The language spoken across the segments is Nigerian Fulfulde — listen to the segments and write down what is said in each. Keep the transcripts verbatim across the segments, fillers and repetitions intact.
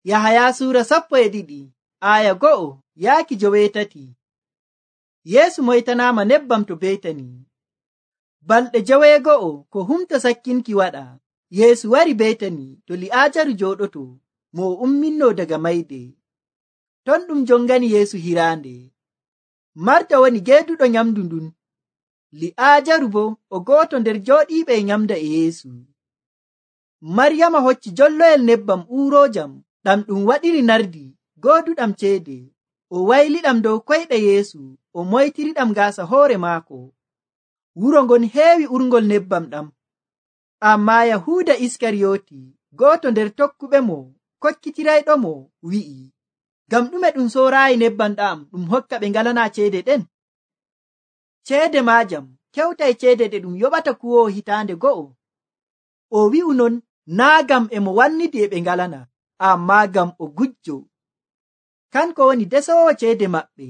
Yahaya suura sappo e ɗiɗi aya go'o yaaki joweetati. Yeesu moytanaama nebbam to Betani. Balɗe joweego'o ko humto sakkinki waɗa, Yeesu wari Betani to Li'aajaru jooɗoto mo o umminnoo daga mayde. Ton ɗum jongani Yeesu hiraande. Marta woni geeduɗo nyamdu ndun. Li'aajaru bo o gooto nder jooɗiiɓe e nyamda e Yeesu. Maryama hocci jolloyel nebbam uuroojam ɗam ɗum waɗiri nardi gooduɗam ceede. O wayliɗam dow koyɗe Yeesu, o moytiriɗam gaasa hoore maako. Wuro ngon heewi urngol nebbam ɗam. Ammaa Yahuuda Iskariyooti, gooto nder tokkuɓe mo, kokkitirayɗo mo, wi'i, ngam ɗume ɗum sooraayi nebbam ɗam ɗum hokka ɓe ngalanaa ceede ɗen? Ceede maajam kewtay ceede ɗe ɗum yoɓata kuwoowo hitaande go'o. O wi'u non naa ngam e mo wannidi e ɓe ngalana, ammaa ngam o gujjo. Kanko woni desoowo ceede maɓɓe,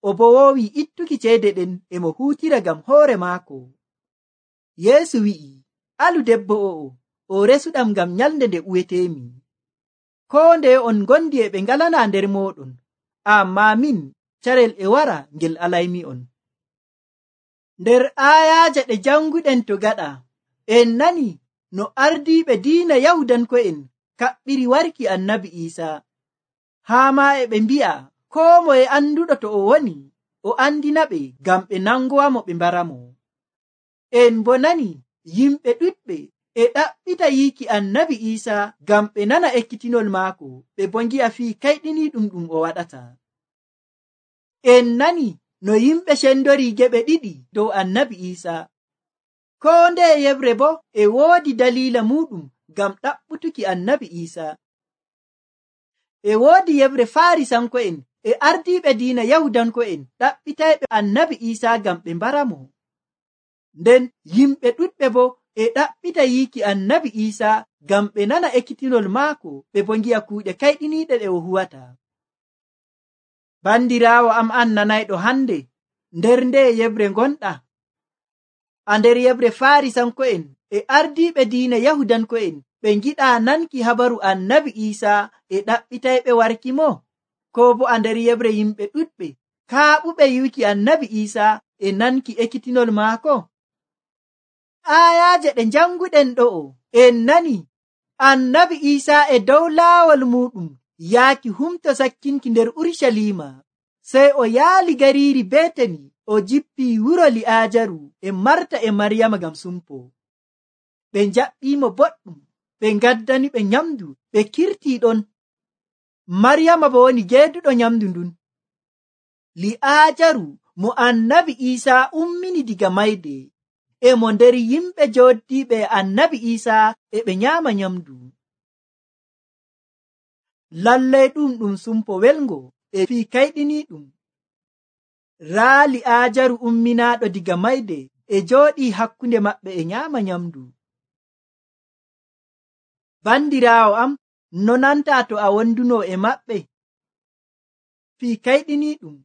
o bo woowi ittuki ceede ɗen e mo huutira ngam hoore maako. Yeesu wi'i, alu debbo o'o, o resuɗam ngam nyalnde nde uweteemi. Koo ndeye on ngondi e ɓe ngalanaa nder mooɗon, ammaa min carel e wara ngel alaymi'on. Nder aayaaje ɗe janguɗen to gaɗa, en nani no ardiiɓe diina Yahudanko'en kaɓɓiri warki annabi Iisaa. Haa maa e ɓe mbi'a koo moye anduɗo to o woni, o andina ɓe ngam ɓe nangowamo ɓe mbaramo. En bo nani yimɓe ɗuɗɓe e ɗaɓɓita yiiki annabi Iisaa ngam ɓe nana ekkitinol maako, ɓe bo ngi'a fii kayɗiniiɗum ɗum o waɗata. En nani no yimɓe cendori geɓe ɗiɗi dow annabi Iisaa. Koo ndeye yebre bo e woodi daliila muɗum ngam ɗaɓɓutuki annabi Iisaa. E woodi yebre Faarisanko'en e ardiiɓe diina Yahudanko'en ɗaɓɓitayɓe annabi Iisaa ngam ɓe mbaramo. Nden yimɓe ɗuɗɓe bo e ɗaɓɓita yiiki annabi Iisaa ngam ɓe nana ekkitinol maako, ɓe bo ngi'a kuuɗe kayɗiniiɗe ɗe o huwata. Bandiraawo am an nanayɗo hande, nder nde yebre ngonɗa? A nder yebre Faarisanko'en e ardiiɓe diina Yahudanko'en ɓe ngiɗaa nanki habaru annabi Iisaa e ɗaɓɓitayɓe warki mo? Koo bo a nder yebre yimɓe ɗuɗɓe kaaɓuɓe yiiki annabi Iisaa e nanki ekkitinol maako? Aayaaje ɗe janguɗen ɗo'o en nani annabi Iisaa e dow laawol muɗum yaaki humto sakkinki nder Urucaliima, sey o yaali gariiri Betani, o jippii wuro Li'aajaru e Marta e Maryama ngam sumpo. Ɓe njaɓɓiimo boɗɗum, ɓe ngaddani ɓe nyamdu, ɓe kirtii ɗon. Maryama bo woni geeduɗo nyamdu ndun. Li'aajaru mo annabi Iisaa ummini diga mayde, e mo nder yimɓe jooddiiɓe annabi Iisaa e ɓe nyaama nyamdu. Lallay ɗum ɗum sumpo welngo e fii kayɗiniiɗum. Raa Li'aajaru umminaaɗo diga mayde e jooɗii hakkunde maɓɓe e nyaama nyamdu. Bandiraawo am, no nantaa to a wonduno e maɓɓe? Fii kayɗiniiɗum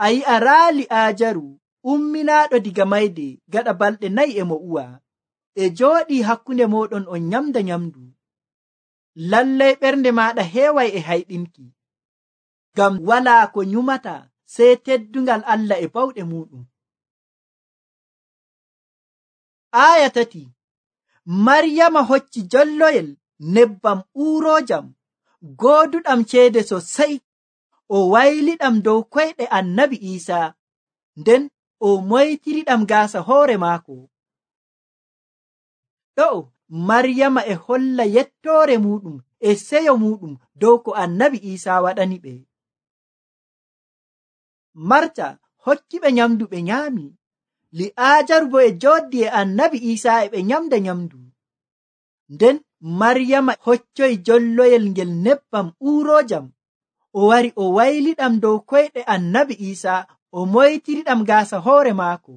a yi'a raa Li'aajaru umminaaɗo diga mayde gaɗa balɗe nayi e mo uwa, e jooɗii hakkunde mooɗon on nyamda nyamdu. Lallay ɓernde maaɗa heeway e hayɗinki, ngam walaa ko nyumata sey teddungal Allah e bawɗe muɗum. Aaya tati. Maryama hocci jolloyel nebbam uuroojam gooduɗam ceede sosai, o wayliɗam dow koyɗe annabi Iisaa, nden o moytiriɗam gaasa hoore maako. Ɗo'o Maryama e holla yettoore muɗum e seyo muɗum dow ko annabi Iisaa waɗani ɓe. Marta hokki ɓe nyamdu ɓe nyaami. Li'aajaru bo e jooddi e annabi Iisaa e ɓe nyamda nyamdu. Nden Maryama hoccoy jolloyel ngel nebbam uuroojam, o wari o wayliɗam dow koyɗe annabi Iisaa, o moytiriɗam gaasa hoore maako,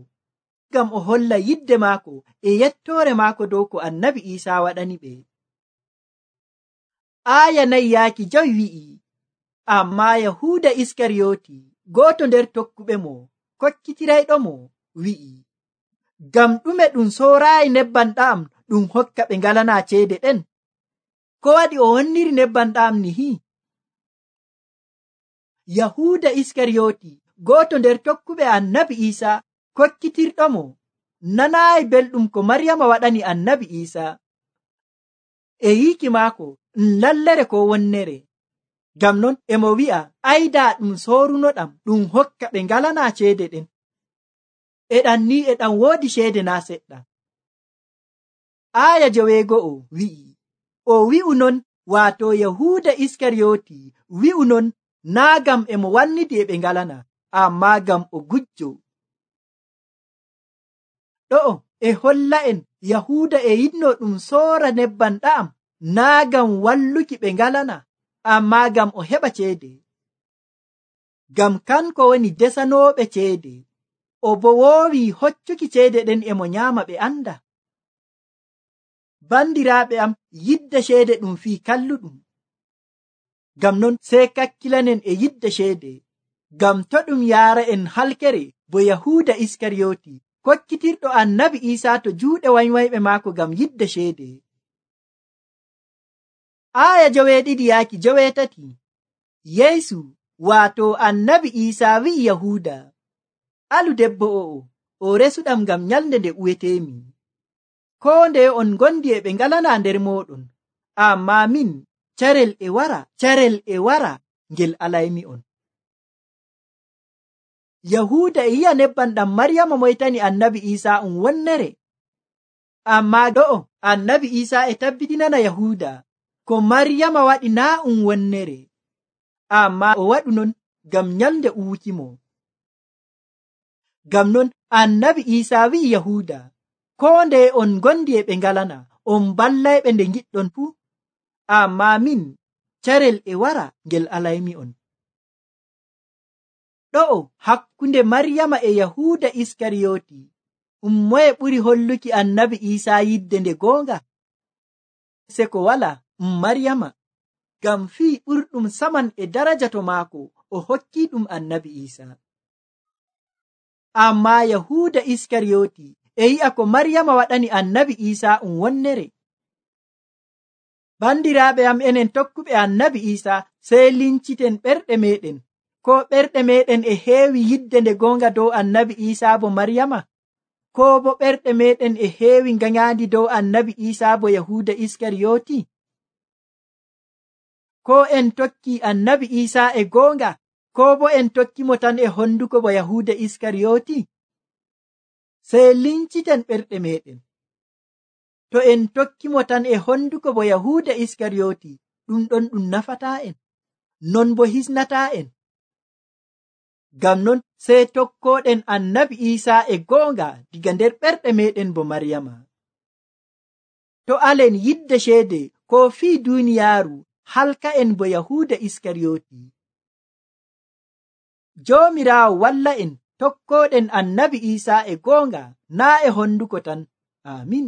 ngam o holla yidde maako e yettoore maako dow ko annabi Iisaa waɗani ɓe. Aaya nayi yaaki jowi wi'i, ammaa Yahuuda Iskariyooti, gooto nder tokkuɓe mo, kokkitirayɗo mo, wi'i, ngam ɗume ɗum sooraayi nebbam ɗam ɗum hokka ɓe ngalanaa ceede ɗen? Ko waɗi o honniri nebbam ɗam nihi? yahuda iskariyoti goto nder tokkuɓe annabi isa kokkitirɗomo nanaayi belɗum ko maryama waɗani annabi isa e yiki maako lallere ko wonnere. Ngam non emo wi'a ayda ɗum sorunoɗam ɗum hokka ɓe ngalana ceede ɗen. E ɗan ni e ɗan woodi ceede na seɗɗa. Aya joweego'o wi'i o wi'u non waato yahuda iskariyoti wi'u non naa gam emo wannidi e ɓe ngalana, amma gam o gujjo. Ɗo'o e holla en yahuda e yinno ɗum soora nebban ɗa'am naa gam walluki ɓe ngalana, amma gam o heɓa ceede. Gam kanko woni desanooɓe ceede, o bo woowi hoccuki ceede ɗen emo nyaama ɓe anda. Bandiraaɓe am, yidde ceede ɗum fii kalluɗum. Gam non sey kakkilanen e yidde ceede, gam to ɗum yaara en halkere bo yahuda iskariyoti kokkitirɗo annabi isa to juuɗe wanywayɓe maako gam yidde ceede. Aya joweeɗiɗi yaaki joweetati. Yeesu waato annabi isa wi'i yahuda, alu debbo o'o o resuɗam gam nyalde nde uwetemi. Ko nde on gondi e ɓe ngalana nder moɗon, amma min carel e wara carel e wara ngel alaymi on. Yahuda e yi'a nebban ɗam maryama moytani annabi isa um wonnere, amma ɗo'o annabi isa e tabbitinana yahuda ko maryama waɗi naa um wonnere, amma o waɗu non gam nyalde uwukimo. Gam non annabi isa wi'i yahuda, ko nde on gondi e ɓe ngalana on ballayɓe nde giɗɗon fuu, amma min carel e wara ngel alaymi on. Ɗo'o hakkunde maryama e yahuda iskariyoti um moye ɓuri holluki annabi isa yidde nde goonga? Se ko wala um maryama, gam fii ɓurɗum saman e daraja to maako o hokki ɗum annabi isa. Amma yahuda iskariyoti e yi'a ko maryama waɗani annabi isa um wonnere. Bandiraaɓe am, enen tokkuɓe annabi isa sey linciten ɓerɗe meɗen, ko ɓerɗe meɗen e heewi yidde nde goonga dow annabi isa bo maryama, ko bo ɓerɗe meɗen e heewi nganyandi dow annabi isa bo yahuda iskariyoti. Ko en tokki annabi isa e goonga, ko bo en tokkimo tan e honduko bo yahuda iskariyoti. Sey linciten ɓerɗe meɗen. To en tokkimo tan e honduko bo yahuda iskariyoti, ɗum ɗon ɗum nafata en, non bo hisnata en. Gam non sey tokkoɗen annabi isa e goonga diga nder ɓerɗe meɗen bo maryama. To alen yidde ceede ko fii duniyaaru halka en bo yahuda iskariyoti. Joomiraawo walla en tokkoɗen annabi isa e goonga naa e honduko tan. Amin.